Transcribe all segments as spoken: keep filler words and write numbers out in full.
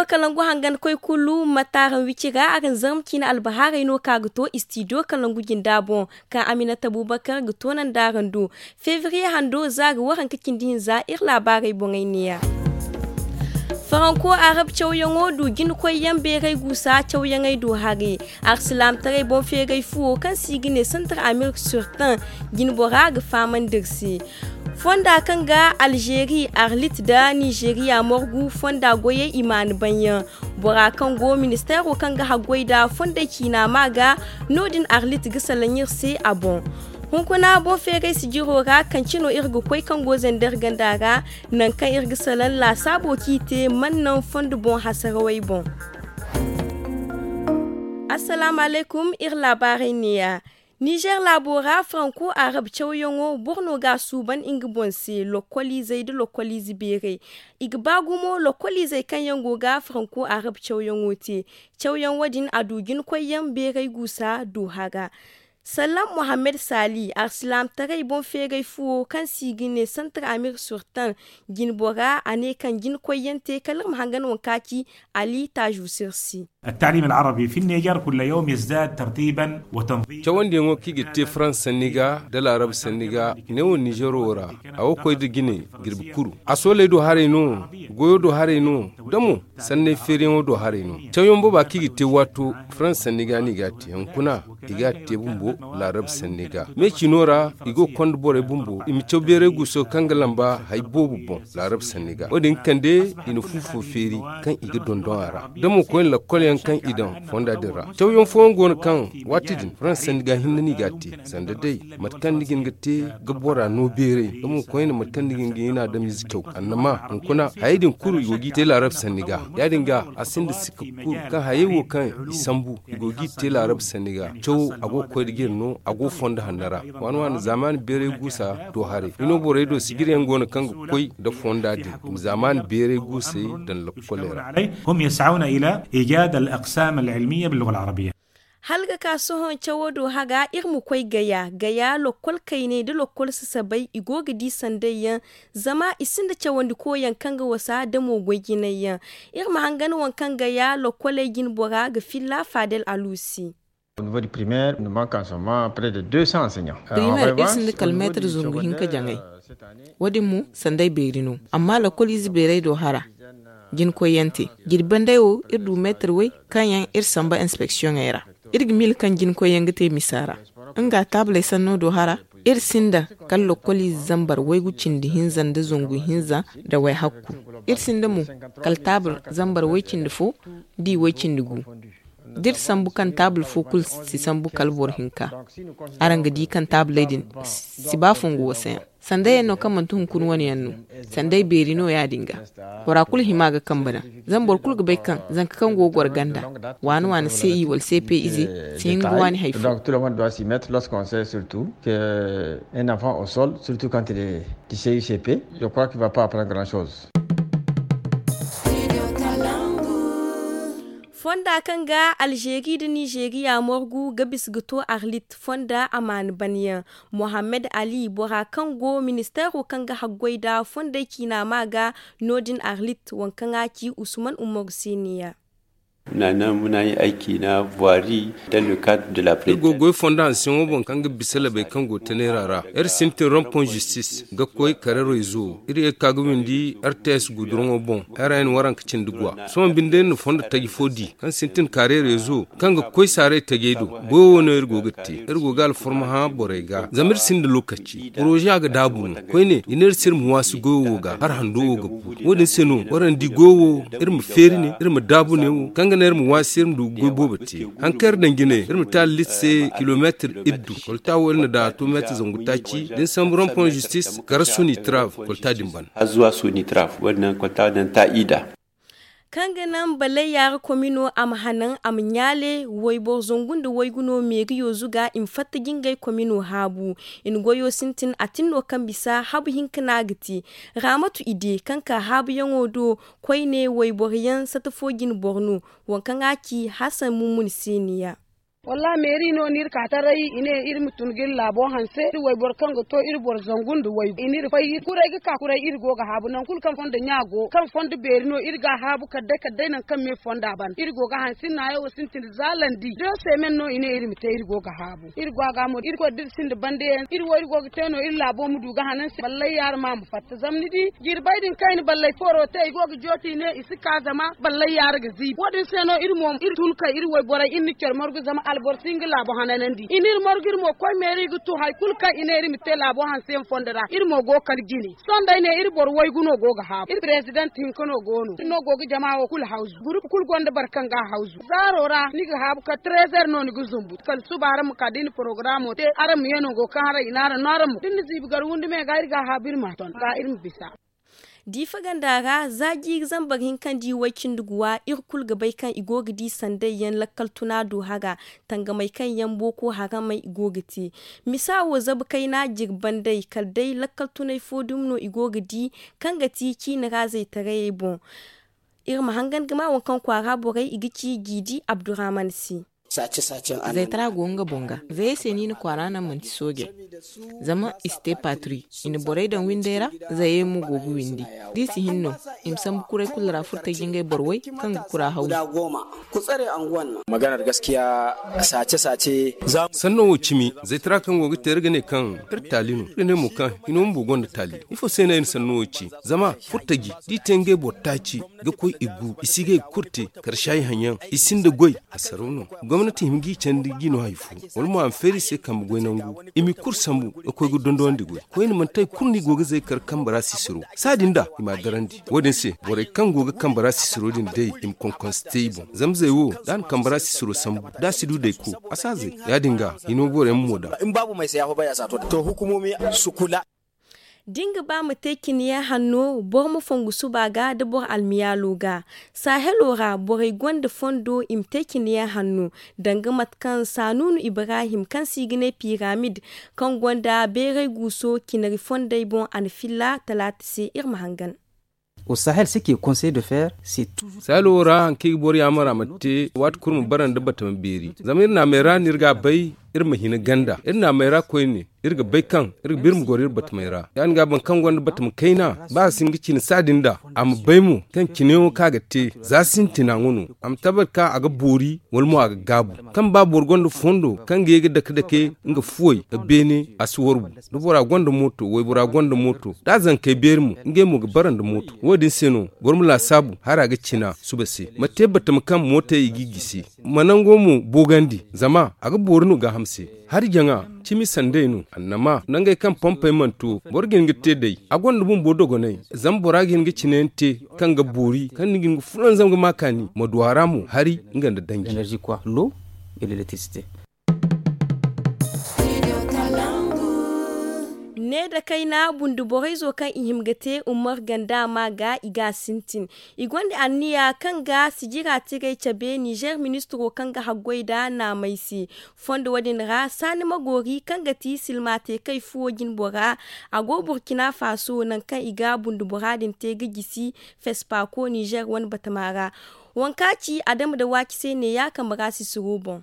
Kalangu hangan koy kulu ma taaraŋ wici ra araŋ zarma ciine albahaarey no ka ga to istidiyo kalangu jinda boŋ, kaŋ aminata bubakar ga toonandi araŋ do. Febriye hando za ga waranka cindi hinza iri laabaarey boŋey neeya. Faranko arab cawyaŋo du jina koyyaŋ beeray guusa cawyaŋey do hare. Arsilaamtaray boŋ feeray fuwo kaŋ se i ga ne santar amerik surtan, jinbora ga fahamandi iri se. Fonda kaŋ ga alzeeri arlit nda nizeriya morgu fonda goyey i maanu banyaŋ. Bora kaŋ go ministeero kaŋ ga haggoy nda fondey ciina ma ga, no- din arlit ga salaŋ iri se a boŋ. Hunkuna boŋ feeray sijiro ra kaŋ cino iri ga koy kaŋ go zandar ganda ra, nangu kaŋ iri ga salaŋ laasaabo kaŋ i te mana naŋ fondo boŋ hasarawey boŋ. Assalaamu alaykum, iri laabaarey neeya. Nizer laabo ra faranko arab cawyaŋo boro no ga a suuban nga boŋ se lokkoliizey nda lokkoliize beerey. I ga ba gumo lokkoliizey kaŋ yaŋ go ga faranko arab cawyaŋo te. Cawyaŋ wo- din a du jina koyyaŋ beeray guusa du hara. Sallam mohammed saali arsilaamtaray boŋ feeray fuwo kaŋ se i ga ne santar amir surtan, jinbora a ne kaŋ jina koyyaŋ te kala iri ma hangan waŋ kaŋ a ci ali taazu sirsi. Attaalim al'arabi fi niger kulla yawm yazdad tartiiban wa tanziim. Cawandiyaŋo kaŋ i ga te farans sanni ga nda laarab sanni ga, neewo nizer wo ra, a go ga koy nda jine jirbi kuru. A sooley do haray no, goyo do haray no, da mo sanney feeriyaŋo do haray no. Cawyaŋ booba kaŋ i ga te waato farans sanni ga no i ga a te hunkuna, i ga a te bumbo laarab sanni ga. Me cino ra i go ga konda borey bumbo i ma caw beeray guuso kaŋ ga lamba hari boobo boŋ laarab sanni ga wo- din ga kande i na fu fo feeri kaŋ i ga dondon a ra. Da mo koyne lakkol yaŋ kaŋ i daŋ fonda din ra. Cawyaŋ fooyaŋ go no kaŋ waati din farans sanni ga hinne no i ga a te, sanda day mate kaŋ ni ga hin ga te ga bora no beeray, da mo koyne mate kaŋ ni ga hin ga hin adamize caw annama hunkuna. Hayey din kulu i go g'i te laarab sanni ga. Ya- din ga a sinda sikka kulu kaŋ hayey wo kaŋ i sambu i go g'i te laarab sanni ga. Cawo a go ga koy nda jine no, a go fondo hanno ra. Waani waani zaamaani beeray guusa do haray, i no borey do sijiryaŋ go no kaŋ ga koy nda fonda din i ma zaamaani beeray guusey daŋ lakkoley ra. Hum yas'awna ila ijad al aqsam al ilmiya bil lugha al arabiya. Hala ga ka sohõ cawo do haga iri ma koy gaya gaya lokkol kayney nda lokkol sasabay i go ga di sanday yaŋ. Zama i sinda cawandi koyaŋ kaŋ ga wasa da mo goy jinay yaŋ. Iri ma hangan waŋ kaŋ gaya lokkoley jinbora ga filla fadel aluusi. Primaire iri sinda kala meetar zangu hinka jaŋay. Wo- din mo sanday beeri no amma lakkol ize beeray do hara. Jina koyyaŋ te jirbi banday wo iri du meetar way kaŋ yaŋ iri samba inspeksiyoŋey ra. Iri ga miila kaŋ jina koyyaŋ ga te misa ra. Nga taabaley sanno do hara. Iri sinda kala lakkol ize zambar waygu cindi hinza nda zangu hinza nda wayhakku. Iri sinda mo kala taabal zambar way cindi fo da i way cindi gu. Da iri sambu kaŋ taabal fo kulu si sambu kala boro hinka. Araŋ ga di kaŋ taabaley din si ba fongu wasayaŋ. Sanday yaŋ no kaŋ manti hunkuna wane yaŋ no. Sanday beeri no ya- din ga. Bora kulu hima ga kambe daŋ. Zama boro kulu ga bay kaŋ zanka kaŋ go ga goro ganda waani waani se i wala se pe ize si hin ga waani hari fo. Donc tout le monde doit s'y mettre lorsqu'on sait surtout que un enfant au sol surtout quand il est du c u c p, je crois qu'il va pas apprendre grand chose. Fonda kaŋ ga alzeeri nda nizeeriya morgu ga bisa ga to arlit fonda amaana banyaŋ. Mohammed ali bora kaŋ go ministeero kaŋ ga haggoy nda fondey ciina ma ga no- din arlit waŋ kaŋ a ci usman umaru se neeya. Muna naŋ muna ye ay ciina voiri dans le cadre de la prête. Iri go ga goy fondo hanseyaŋo boŋ kaŋ ga bisa labey kaŋ go taneera ra. Iri sintin rompon zistis ga koy kare rezo. Iri ye ga ka ga windi r t s guduraŋo boŋ. Ra n waranka cindi guwa sohõ binde iri na fondo taji fo di kaŋ sintin kare rezo kaŋ ga koy saaray tajey do. Goyo wo no iri go ga te. Iri go ga alforma hã borey ga zama iri sinda lokaci poroze a ga daabu no. Koyne i ne iri se iri ma waasi goyo wo ga hala hando wo ga bu. Wo- din se no waraŋ di goyo wo iri ma feeri ne iri ma daabu ne wo kaŋ ga naŋ iri ma waasi iri ma du ga goy boobo te. Haŋ kaŋ iri daŋ jine iri ma te allit se kilomeetir iddu. Kolta wo iri na daŋ a to meetir zangu taaci da ni sambu rompon zistis kara sonitrav kolta din ban. Azuwa sonitrav wadin naŋ kolta wadin naŋ ta ida. Kaŋ ga naŋ balay yaara komino a ma hanan a ma ɲaale wayboro zangu nda waygu no meeriyo zuga i ma fatta jingay komino haabu. I na goyo sintin a tin no kaŋ bisa habu hinka no a ga te. Raamatu ide kaŋ ka haabuyaŋo do koyne wayboro yaŋ sata fo jine boro no. Waŋ kaŋ a ci hasan mummuni se neeya. Wallaahi meeri no no iri ka taray i ne iri ma tun ga iri laabo hanse iri wayboro kaŋ ga to iri boro zangu nda waygu i n'iri fay kuray ga ka kuray iri go ga haabu nangu kulu kaŋ fondo ɲa go kaŋ fondo beeri no iri ga a haabu kala day kala day nangu kaŋ me fonda ban iri go ga hanse iri naayo wo sintin da za landi da semen no i ne iri ma te iri go ga haabu iri go a ga mo iri koy da iri sinda bande yaŋ iri wo iri go ga te no iri laabo ma du ga hanan se ballay yaara ma a ma fatta zama ni di jirbay din kaŋ i na ballay fooro te i go ga jooti i ne i si ka zama ballay yaara ga ziibi wo- din se no iri mo iri tun kay iri wayborey iri na care margu zama alboro si hin ga laabo hananandi i n'iri margu iri mo koy meeri ga tu hari kulu kaŋ i ne iri ma te laabo hanse yaŋ fondo ra iri mo go kala jine sohõ day ne iri boro waygu no go ga haabu iri prezident hinka no go no iri no go ga jama wo kulu hawzu gurupu kulu gonda boro kaŋ ga a hawzu zaaro ra ni ga haabu kala trezer no ni ga zumbu kala suba araŋ ma ka da i na porogaraamo te araŋ ma ye nango kaŋ haray i n'araŋ no araŋ ma da ni na ziibi gar windi me ga iri ga a haabu iri ma a ton ga iri ma bisa. Diifa ganda ra za jiiri zambar hinka nda i way cindi guwa iri kulu ga bay kaŋ i go ga di sanday yaŋ lakkal tuna do hara tangamey kaŋ yaŋ booko haramey i go ga te misa wo zabu kayna jirban day kala day lakkal tunay fo dumi no i go ga di kaŋ ga ti ciini ra zaytarayey boŋ. Iri ma hangan ga ma waŋ kaŋ kwaara borey i ga ci jiidi abdurrahman se. Zaytara go nga boŋ ga zayey se no i na kwaara naŋ manti sooje zama i si te patri i na borey daŋ windey ra. Zayey mo go ga windi da i si hin no i ma sambu kuray kulu ra furtaji ngey boro way kaŋ ga kura hawzu. Maganar gaskiya sace sace. Sanno wo cimi zaytara kaŋ go ga te iri ga ne kaŋ iri taali no iri ga ne mo kaŋ hino bumbo gonda taali ifo se no ay na sanno wo ci zama furtaji da i te ngey boro taaci ga koy i gu i si ga i ga kulu te karshayi haŋ yaŋ i sinda goy. Asaraw no gomnati hima ga i candi ga i no hari fo wala mo a ma feeri i se kambe goy nangu i m'i kulu sambu ga koy ga dondonandi goy koyne manti hari kulu no i go ga zay kar kambe ra sisiro saadin da i m'a darandi wo- din se borey kaŋ go ga kambe ra sisiro din day i ma konkonse te i boŋ zama zay wo da a na kambe ra sisiro sambu da a si du dayko a si a zay ya- din ga hino borey ma mo daŋ. Da nga ba ma te cine yaŋ hanno boro ma fongu suba ga da boro almiyaalo ga. Sahelo ra borey gonda fondo i ma te cine yaŋ hanno danga mate kaŋ saanuunu ibrahim kaŋ se i ga ne piramid kaŋ gonda beeray guuso cinari fondey boŋ a na filla talaata se iri ma hangan. Sahelo ra hari kaŋ i ga boro yaamar a ma te waati kulu ma bara nda batama beeri zama iri naamey ra no iri ga a bay iri ma hina ganda iri naamey ra koyne iri ga bay kaŋ iri ga ba iri ma goro iri batamey ra ya- din ga boro kaŋ gonda batama kayna ba a si hin ga cine saadin da a ma bay mo kaŋ cineyaŋo kaŋ a ga te za sintina nga no a ma tabbat kaŋ a ga boori wala mo a ga gaabu kaŋ ba boro gonda fondo kaŋ ga ye ga dake dake nga fuwey nda beene a si warbu da bora gonda mooto waybora gonda mooto da zankey beeri mo ngey mo ga bara nda mooto wo- din se no boro ma laasaabu hara ga cina suba se ma te batama kaŋ mootey i g'i gisi ma nango mo boogandi zama a ga boori no gaaham se hari jaŋa cimi sanday no annama nangey kaŋ pompey mana to boro ga hin ga te day a gonda bumbo dogonay zama bora ga hin ga cine yaŋ te kaŋ ga boori kaŋ ni ga hin ga fulanzam ga ma kaani ma du a ra mo hari nga nda danji. Ne da kayna bunduborayzo kaŋ i hima ga te ummar ganda ma ga i ga a sintin i gonda anniya kaŋ ga sijira tiray cabe nizer ministiro kaŋ ga haggoy nda naamay se. Fondo wo- din ra saani magoori kaŋ ga ti silma te kay fuwo jinbora a go burkina faso nangu kaŋ i ga bundubora din te ga gisi fespaako nizer wane batama ra. Waŋ kaŋ a ci adama nda waaci se neeya kambe ra sisiro boŋ.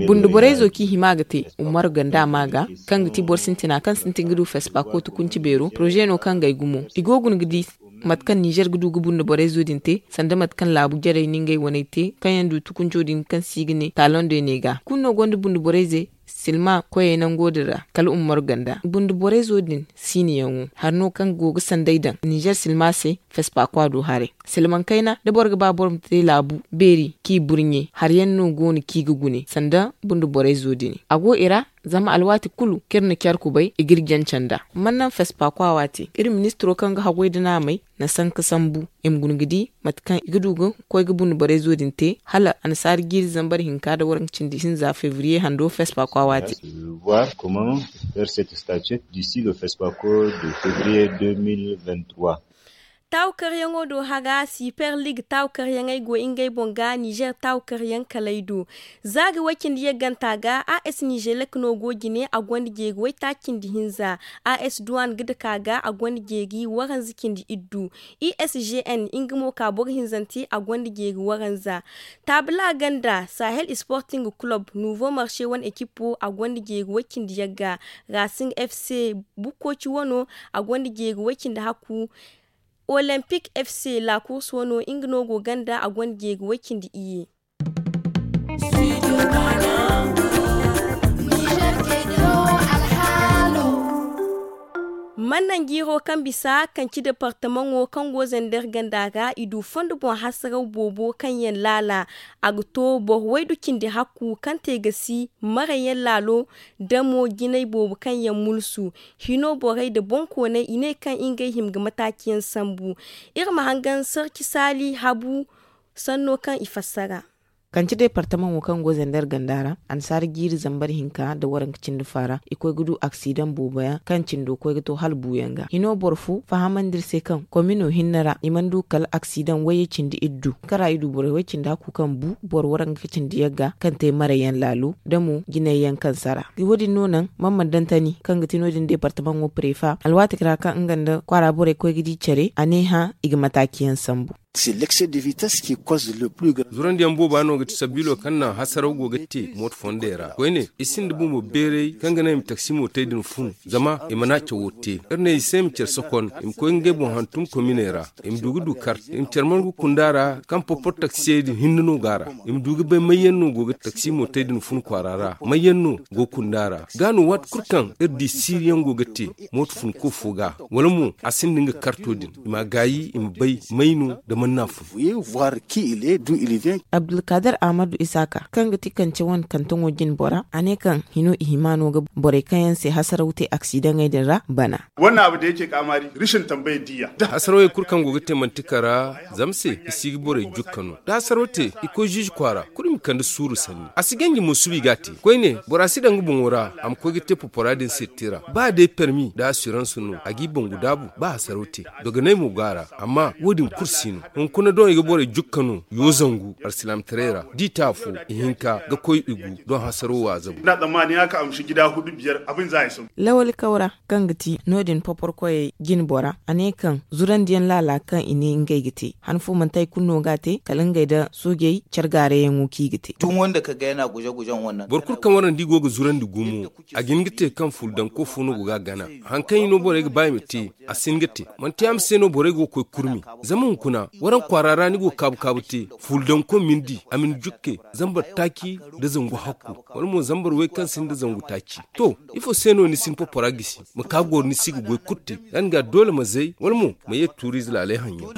Bunduborayzo kaŋ i hima ga te umaru ganda ma ga kaŋ ga ti boro sintina kaŋ sintin ga du fespaako tukunci beero poroze no kaŋ ga ay gumo i go guna ga di mate kaŋ nizer ga du ga bunduborayzo din te sanda mate kaŋ laabu jarey na ngey waney te kaŋ yaŋ du tukunco din kaŋ se i ga ne taloŋ de ne ga kulu no gonda bunduborayzey silma koyey nango din ra kala umaru ganda bunduborayzo din siiniyaŋo hari no kaŋ go ga sanday daŋ nizer silma se fespaako a du haray. Silmaŋ kayna da boro ga ba boro ma te laabu beeri kaŋ i burɲe hari yaŋ no go no kaŋ i ga gune sanda bunduborayzo din a go i ra. Zama alwaati kulu kaŋ iri na care kubay i ga iri janca nd'a. Mana naŋ fespaako a waati iri ministiro kaŋ ga haggoy nda naamey na sanka sambu i ma guna ga di mate kaŋ i ga du ga koy ga bunduborayzo din te hala annasaara jiiri zambar hinka nda waranka cindi hinza febriye hando fespaako a waati. Voir comment faire cette statuette d'ici le fespaako de febriye deux mille vingt trois. Taawu karyaŋo do hara siper lig taawu karyaŋey go ngey boŋ ga nizer taawu karyaŋ kalay do. Za ga way cindi yagganta ga a s nizelek no go jine a gonda jeeri waytaaci cindi hinza. A s duwan ga dake a ga a gonda jeeri waranza cindi iddu. I s g n nga mo ka boro hinzante a gonda jeeri waranza. Taabila ganda sahel sporting kulob nuvo marse wane ekipo a gonda jeeri way cindi yagga. Rasing f c bukkoci wano a gonda jeeri way cindi hakku. Olempik f c laakurs wano nga no go ganda a gonda jeeri way cindi iyye. Mannan jiiro kaŋ bisa kanci departamaŋo kaŋ go zander ganda ra i du fondo boŋ hasaraw boobo kaŋ yaŋ laala. A ga to boro waydu cindi hakku kaŋ te ga si maray yaŋ laalo da mo jinay boobo kaŋ yaŋ mulsu. Hino borey nda boŋkooney i ne kaŋ ngey hima ga mataaci yaŋ sambu. Iri ma hangan sarci saali habu sanno kaŋ i fassara. Kanci departamaŋo kaŋ go zander ganda ra annasaara jiiri zambar hinka nda waranka cindi faara i koy ga du aksidaŋ boobo yaŋ kaŋ cindo koy ga to hala buuyaŋ ga hino boro fo fahamandi iri se kaŋ komino hinne ra i mana du kala aksidaŋ wayye cindi iddu kara i du borey way cindi hakku kaŋ bu boro waranka cindi yagga kaŋ te maray yaŋ laalo da mo jinay yaŋ kaŋ sara. Wo- din no naŋ man mana daŋ tani kaŋ ga ti no- din departamaŋo prefa alwaati ra kaŋ nga nda kwaara borey koy ga di care a ne hã i ga mataaci yaŋ sambu. Zurandiyaŋ booba no ga ti sabiilo kaŋ naŋ hasaraw go ga te mooto fondey ra koyne i sinda bumbo beeray kaŋ ga naŋ i ma taksimo te din fun zama i mana cawo te. Iri ne i se i ma care sokon i ma koy ga ngey boŋ hantum kominey ra. I ma du ga du kart i ma care margu kunda ra kaŋ porporo taksiyey din hinne no go a ra. I ma du ga bay mayyaŋ no go ga taksimo te din fun kwaara ra mayyaŋ no go kunda ra. Ga no waati kulu kaŋ iri di siiriyaŋ go ga te mooto funko fo ga wala mo a sinda nga karto din i ma gaayi i ma bay may no nda man n'a fun. Abdulkadir ahmadu isaaka kaŋ ga ti kance wane kantaŋo jine bora a ne kaŋ hino i hima no ga borey kaŋ yaŋ se hasaraw te aksidaŋey din ra bana. Hasarawey kulu kaŋ go ga te manti kara zama se i si ga borey jukka no da hasaraw te i koy ziizi kwaara kulu i ma kande suuru sanni a si ganji mo suba i ga a te koyne bora si daŋ nga boŋo ra a ma koy ga te popora din se tira ba day permi nda asirans no a g'i bangu daabu ba hasaraw te. Dogonay mo go a ra amma wo- din kulu si no hunkuna doŋ i ga borey jukka no yo zangu alsilaamataray ra da i te afo ihinka ga koy igu doŋ hasaro waazabu. Lawali kawra kaŋ ga ti no- din poporkoyey jine bora a ne kaŋ zurandiyaŋ laala kaŋ i ne ngey ga te han fo manti hari kulu no ga a te kala ngey nda soojey care gaarayaŋo kaŋ i ga te. Boro kulu kaŋ warandi go ga zurandi gumo a ga hin ga te kaŋ fuldanko fo no go ga a gana. Hari kaŋ i no borey ga ba i ma te a si hin ga te. Manti yaama se no borey go ga koy kurmi zama hunkuna waraŋ kwaara ra ni go ga kaabu kaabu te fuldanko ma ni di a ma ni jukke zambar taaci nda zangu hakku wala mo zambar way kaŋ sinda zangu taaci. To ifo se no ni si ni popora gisi ma ka goro ni si ga goy kulu te? Ya- din ga doole ma zay wala mo ma ye tuuriize laalay haŋyaŋ.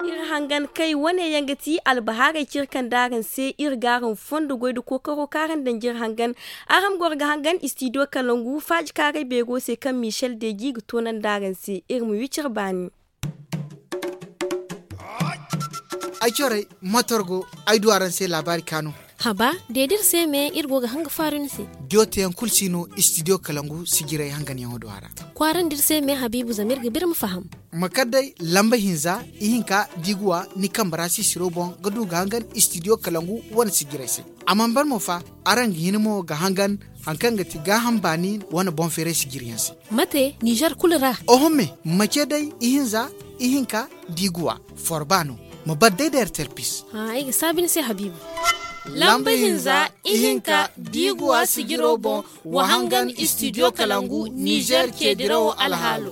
Iri hangan kay wane yaŋ ga ti albahaarey cire kaŋ da araŋ se iri ga araŋ fondo goy nda kookaro kaŋ araŋ daŋ jire hangan. Araŋ ma goro ga hangan istidiyo kalangu faaji kaaray beero se kaŋ michel deji ga toonandi araŋ se iri ma wi cire baani. Ay corey matorgo ay du araŋ se laabaari kaanu. Haba deedi iri se me iri go ga hanga faaru ni se. Diyo teyaŋ kulu si no istidiyo kalangu sijiray hanganyaŋo do a ra. Kwaarandi iri se me habiibu zama iri ga ba iri ma faham. Ma kar day lamba hinza ihinka diiguwa ni kambe ra sisiro boŋ ga du ga hangan istidiyo kalangu wane sijiray se. A mana ban mo fa araŋ ga hin mo ga hangan hari kaŋ ga ti gaaham baani wane boŋ feeray sijiryaŋ se. Mate nizer kulu ra. Oho me ma ce day ihinza ihinka diiguwa forba no. Ma bar day da erterpis. Ay ga saabi ni se habiibu. Lamba hinza ihinka diiguwa sijiro boŋ wa hangan istidiyo kalangu nizer ce dirawo alhaalo.